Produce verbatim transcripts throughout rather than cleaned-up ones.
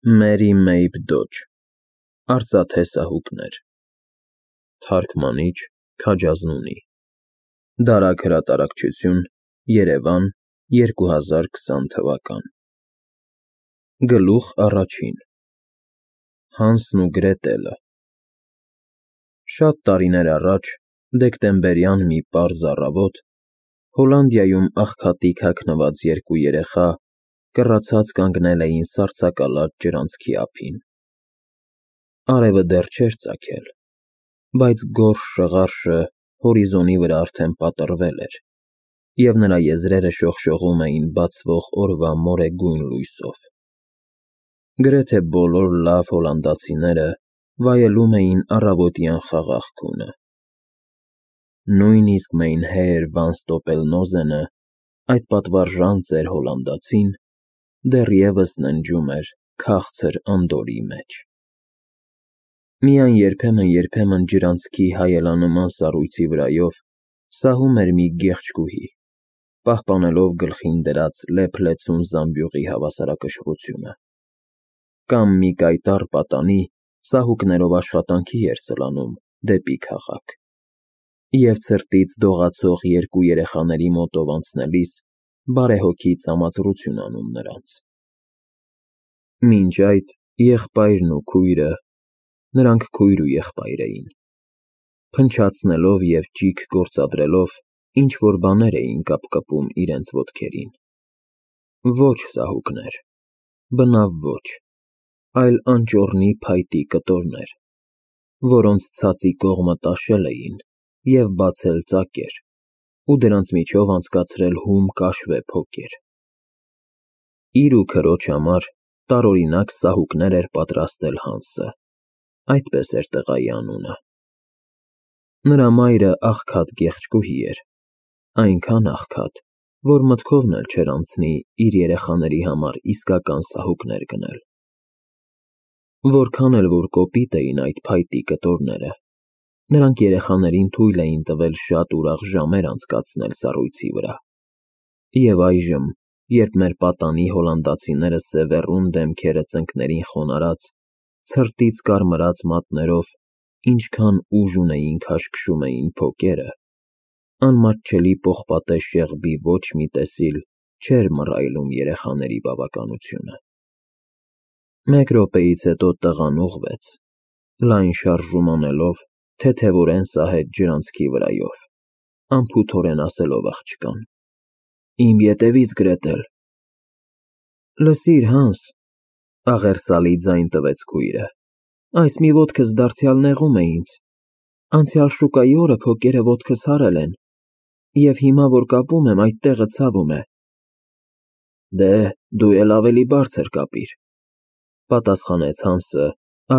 Մերի Մեյբ Դոջ, Արծաթե սահուկներ, Թարգմանիչ՝ Քաջազնունի, Դարագ հրատարակչություն, Երևան, երկու հազար քսան թվական։ Գլուխ առաջին Հանսն ու Գրետելը Շատ տարիներ առաջ, դեկտեմբերյան մի պարզ առավոտ, Հոլանդիայում աղքատիկ հագնված երկու երեխա կռացած կանգնել էին սառցակալած ջրանցքի ափին։ Արևը դեռ չէր ծագել, բայց գորշ շղարշը հորիզոնի վրա արդեն պատռվել էր, և նրա եզրերը շողշողում էին բացվող օրվա մորեգույն լույսով։ Գրեթե բոլոր լավ հոլանդացիները վայելում էին առավոտյան խաղաղ քունը։ Նույնիսկ Մեյնհեեր Վան Ստոպելնոզենը, այդ պատվարժան ծեր հոլանդացին, դեռևս ննջում էր քաղցր անդորրի մեջ։ Միայն երբեմն֊երբեմն ջրանցքի հայելանման սառույցի վրայով սահում էր մի գեղեցկուհի, պահպանելով գլխին դրած լեփ-լեցուն զամբյուղի հավասարակշռությունը, կամ մի կայտառ պատանի սահուկներով աշխատանքի էր սլանում դեպի քաղաք, և ցրտից դողացող երկու երեխաների մոտով անցնելիս բարեհոգի ծամածրություն անում նրանց։ Մինչ այդ եղբայրն ու քույրը (նրանք քույր ու եղբայր էին) փնչացնելով և ճիգ գործադրելով ինչ-որ բաներ էին կապկպում իրենց ոտքերին։ Ոչ սահուկներ, բնավ ոչ, այլ անճոռնի փայտի կտորներ, որոնց ցածի կողմը տաշել էին և բացել ծակեր ու դրանց միջով անցկացրել հում կաշվե փոկեր։ Իր ու քրոջ համար տարօրինակ սահուկներ էր պատրաստել Հանսը, այդպես էր տղայի անունը։ Նրա մայրը աղքատ գեղեցկուհի էր, այնքան աղքատ, որ մտքովն էլ չէր անցնի իր երեխաների համար իսկական սահուկներ գնել։ Որքան էլ որ կոպիտ էին այդ փայտի կտորները, նրանք երեխաներին թույլ էին տվել շատ ուրախ ժամեր անցկացնել սառույցի վրա, և այժմ, երբ մեր պատանի հոլանդացիները սևեռուն դեմքերը ծնկներին խոնարհած, ցրտից կարմրած մատներով ինչքան ուժ ունեին քաշքշում էին փոկերը, անմատչելի պողպատե շեղբի ոչ մի տեսիլ չէր մռայլում երեխաների բավականությունը։ Մեկ րոպեից հետո տղան ուղղվեց, լայն շարժում անելով, թեթևորեն սահեց ջրանցքի վրայով, անփութորեն ասելով աղջկան. «Իմ ետևից, Գրետել»։ Լսիր, Հանս, աղերսալի ձայն տվեց քույրը, այս մի ոտքս դարձյալ նեղում է ինձ, անցյալ շուկայի օրը փոկերը ոտքս հարել են, և հիմա, որ կապում եմ, այդ տեղը ցավում է։ Դե, դու էլ ավելի բարձր կապիր, պատասխանեց Հանսը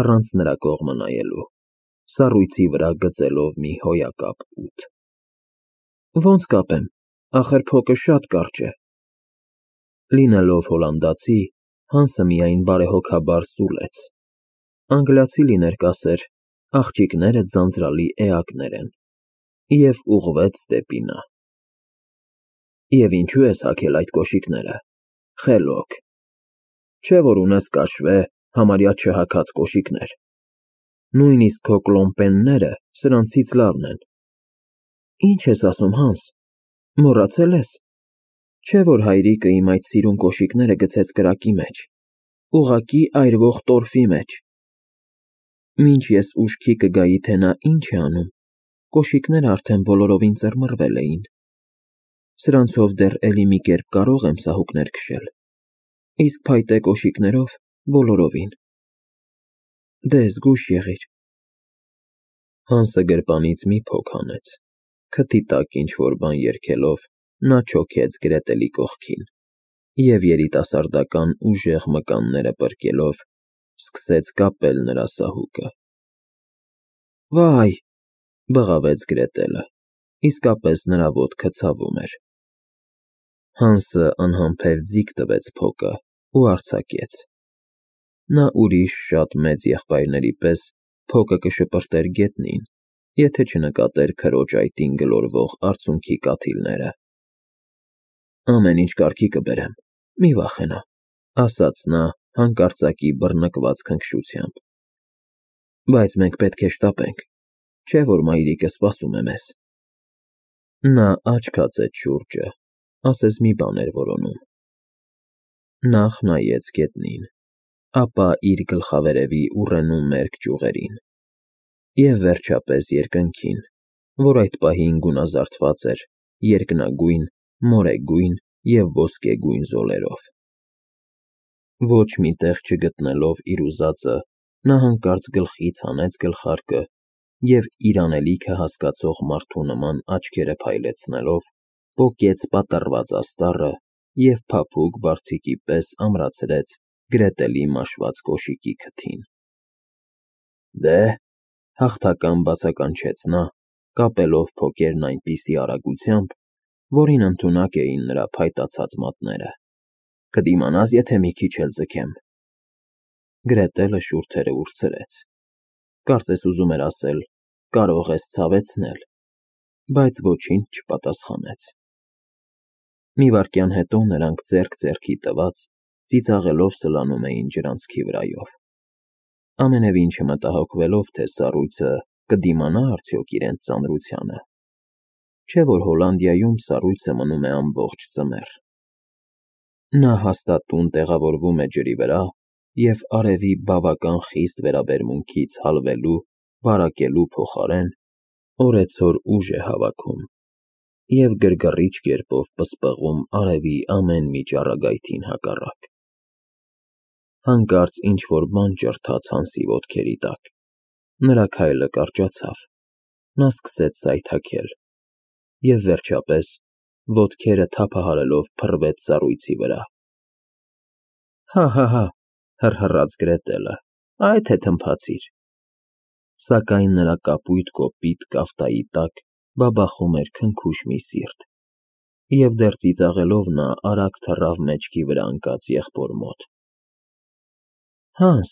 առանց նրա կողմը նայելու, սառույցի վրա գծելով մի հոյակապ ութ։ Ոնց կապեմ, ախր փոկը շատ կարճ է։ Լինելով հոլանդացի, Հանսը միայն բարեհոգաբար սուլեց, անգլիացի լիներ կասեր, աղջիկները ձանձրալի էակներ են, և ուղղվեց դեպի նա։ Եվ ինչո՞ւ ես հագել այդ կոշիկները, խելոք, չէ՞ որ ունես կաշվե, համարյա չհագած կոշիկներ, նույնիսկ քո կլոմպենները սրանցից լավն են։ Ինչ ես ասում, Հանս, մոռացել ես, չէ՞ որ հայրիկը իմ այդ սիրուն կոշիկները գցեց կրակի մեջ, ուղղակի այրվող տորֆի մեջ։ Մինչ ես ուշքի կգայի, թե նա ինչ է անում, կոշիկներն արդեն բոլորովին ծռմռվել էին։ Սրանցով դեռ էլի մի կերպ կարող եմ սահուկներ քշել, իսկ փայտե կոշիկներով՝ բոլորովին։ Դե զգույշ եղիր։ Հանսը գրպանից մի փոք հանեց, քթի տակ ինչ֊որ բան երգելով, նա չոքեց Գրետելի կողքին և երիտասարդական ուժեղ մկանները պրկելով, սկսեց կապել նրա սահուկը։ Վայ, բղավեց Գրետելը, իսկապես նրա ոտքը ցավում էր։ Հանսը անհամբեր ձիգ տվեց փոկը ու արձակեց։ Նա ուրիշ շատ մեծ եղբայրների պես փոկը կշպրտեր գետնին, եթե չնկատեր քրոջ այտին գլորվող արցունքի կաթիլները։ Ամեն ինչ կարգի կբերեմ, մի վախենա, ասաց նա, հանկարծակի բռնկված քնքշությամբ։ Բայց մենք պետք է շտապենք, չէ՞ որ մայրիկը սպասում է մեզ։ Նա աչք հացեց շուրջը, ասես մի բան էր որոնում։ Նախ նայեց գետնին, ապա իր գլխավերևի ուռենու մերկ ճյուղերին և վերջապես երկնքին, որ այդ պահին գունազարդված էր երկնագույն, մորեգույն և ոսկեգույն զոլերով։ Ոչ մի տեղ չգտնելով իր ուզածը, նա հանկարծ գլխից հանեց գլխարկը և իր անելիքը հասկացող մարդու նման աչքերը փայլեցնելով, պոկեց պատռված աստառը և փափուկ բարձիկի պես ամրացրեց Գրետելի մաշված կոշիկի քթին։ Դե՞հ,֊ հաղթական բացականչեց նա, կապելով փոկերն այնպիսի արագությամբ, որին ընդունակ էին նրա փայտացած մատները։ Կդիմանա՞ս, եթե մի քիչ էլ ձգեմ։ Գրետելը շուրթերը ուրցրեց, կարծես ուզում էր ասել. կարող ես ցավեցնել, բայց ոչինչ չպատասխանեց։ Մի վայրկյան հետո նրանք ձեռք ձեռքի տված ծիծաղելով սլանում էին ջրանցքի վրայով, ամենևին չմտահոգվելով, թե սառույցը կդիմանա՞ արդյոք իրենց ծանրությանը, չէ՞ որ Հոլանդիայում սառույցը մնում է ամբողջ ձմեռ։ Նա հաստատուն տեղավորվում է ջրի վրա և արևի բավական խիստ վերաբերմունքից հալվելու, վարակելու փոխարեն օրեցօր ուժ է հավաքում և գրգռիչ կերպով պսպղում արևի ամեն մի ճառագայթին հակառակ։ Հանկարծ ինչ֊որ բան ճռթաց Հանսի ոտքերի տակ, նրա քայլը կարճացավ, նա սկսեց սայթաքել և, վերջապես, ոտքերը թափահարելով փռվեց սառույցի վրա։ Հա՛֊հա՛֊հա՛, հռհռաց Գրետելը, այ թե թմփացիր։ Սակայն նրա կապույտ կոպիտ կաֆտայի տակ բաբախում էր քնքուշ մի սիրտ, և դեռ ծիծաղելով նա արագ թռավ մեջքի վրա ընկած եղբոր մոտ։ Հանս,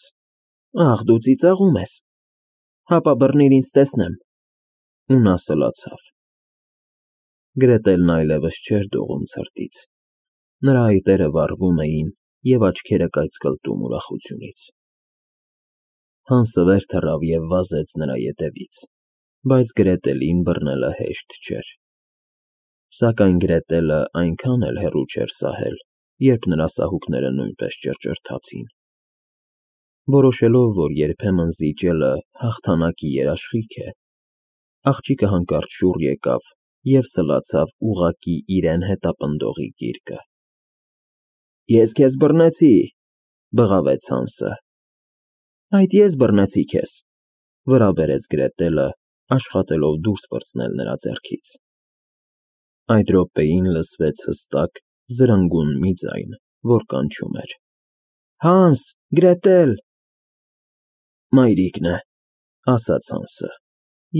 ախ, դու ծիծաղում ես, հապա բռնիր ինձ տեսնեմ, ու նա սլացավ։ Գրետելն այլևս չէր դողում ցրտից, նրա այտերը վառվում էին և աչքերը կայծկլտում ուրախությունից։ Հանսը վեր թռավ և վազեց նրա ետևից, բայց Գրետելին բռնելը հեշտ չէր։ Սակայն Գրետելը այնքան էլ հեռու չէր սահել, երբ նրա սահուկները նույնպես ճռճռթացին։ Որոշելով, որ երբեմն զիջելը հաղթանակի երաշխիք է, աղջիկը հանկարծ շուռ եկավ և սլացավ ուղղակի իրեն հետապնդողի գիրկը։ Ես քեզ բռնեցի,֊ բղավեց Հանսը։ Այդ ես բռնեցի քեզ,֊ վրա բերեց Գրետելը, աշխատելով դուրս պրծնել նրա ձեռքից։ Այդ րոպեին լսվեց հստակ, զրնգուն մի ձայն, որ կանչում էր. Հանս, Գրետել… Մայրիկն է,֊ ասաց Հանսը,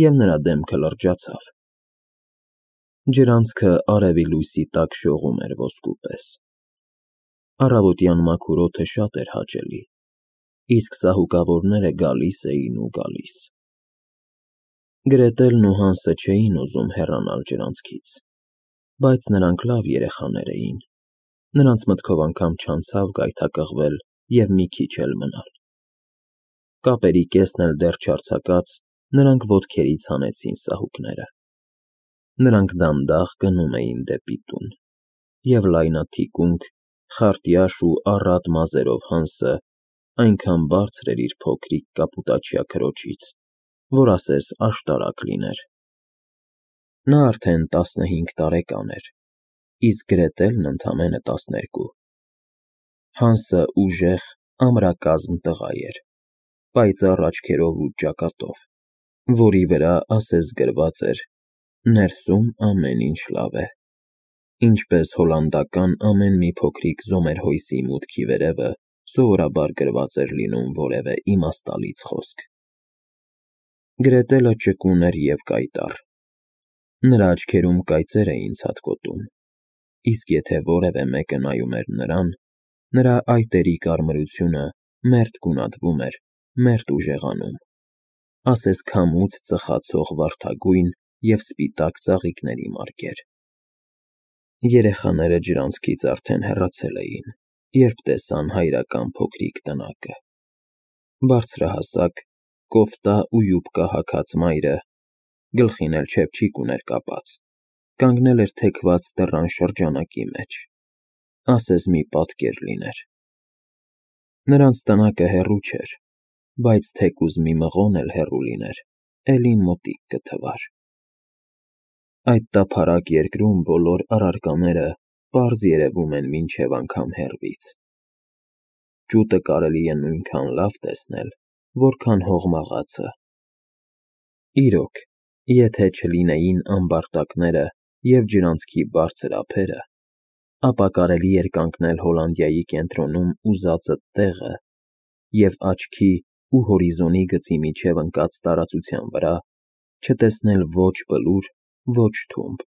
և նրա դեմքը լրջացավ։ Ջրանցքը արևի լույսի տակ շողում էր ոսկու պես։ Առավոտյան մաքուր օդը շատ էր հաճելի, իսկ սահուկավորները գալիս էին ու գալիս։ Գրետելն ու Հանսը չէին ուզում հեռանալ ջրանցքից, բայց նրանք լավ երեխաներ էին, նրանց մտքով անգամ չանցավ գայթակղվել և մի քիչ էլ մնալ։ Կապերի կեսն էլ դեռ չարձակած, նրանք ոտքերից հանեցին սահուկները։ Նրանք դանդաղ գնում էին դեպի տուն, և լայնաթիկունք, խարտյաշ ու առատ մազերով Հանսը այնքան բարձր էր իր փոքրիկ կապուտաչյա քրոջից, որ ասես աշտարակ լիներ։ Նա արդեն տասնհինգ տարեկան էր, իսկ Գրետելն ընդամենը տասներկու։ Հանսը ուժեղ, ամրակազմ տղա էր, պայծառ աչքերով ու ճակատով, որի վրա ասես գրված էր. «Ներսում ամեն ինչ լավ է», ինչպես հոլանդական ամեն մի փոքրիկ զոմերհոյսի մուտքի վերևը սովորաբար գրված էր լինում որևէ իմաստալից խոսք։ Գրետելը ճկուն էր և կայտառ։ Նրա աչքերում կայծեր էին ցատկոտում, իսկ եթե որևէ մեկը նայում էր նրան, նրա այտերի կարմրությունը մերթ գունատվում էր, մերթ ուժեղանում, ասես քամուց ծխացող վարդագույն և սպիտակ ծաղիկների մարկեր։ Երեխաները ջրանցքից արդեն հեռացել էին, երբ տեսան հայրական փոքրիկ տնակը։ Բարձրահասակ, կոֆտա ու յուբկա հագած մայրը, գլխին էլ չեփչիկ ուներ կապած, կանգնել էր թեքված դռան շրջանակի մեջ, ասես մի պատկեր լիներ։ Նրանց տնակը հեռու չէր, բայց թեկուզ մի մղոն էլ հեռու լիներ, էլի մոտիկ կթվար։ Այդ տափարակ երկրում բոլոր առարկաները պարզ երևում են մինչև անգամ հեռվից։ Ճուտը կարելի է նույնքան լավ տեսնել, որքան հողմաղացը։ Իրոք, եթե չլինեին ամբարտակները և ջրանցքի բարձր ափերը, ապա կարելի էր կանգնել Հոլանդիայի կենտրոնում ուզածդ տեղը և աչքի ու հորիզոնի գծի միջև ընկած տարածության վրա չտեսնել ոչ բլուր, ոչ թումբ։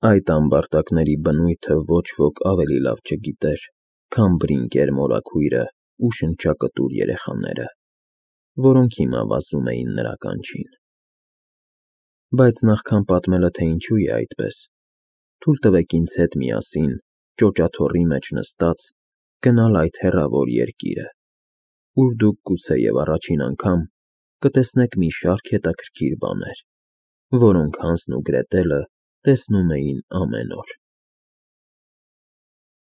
Այդ ամբարտակների բնույթը ոչ ոք ավելի լավ չգիտեր, քան Բրինկեր մորաքույրն ու շնչակտուր երեխաները, որոնք հիմա վազում էին նրա կանչին։ Բայց նախքան պատմելը, թե ինչու է այդպես, թույլ տվեք ինձ հետ միասին, ճոճաթոռի մեջ նստած, գնալ այդ հեռավոր երկիրը, ուր դուք գուցեև առաջին անգամ կտեսնեք մի շարք հետաքրքիր բաներ, որոնք Հանսն ու Գրետելը տեսնում էին ամեն օր։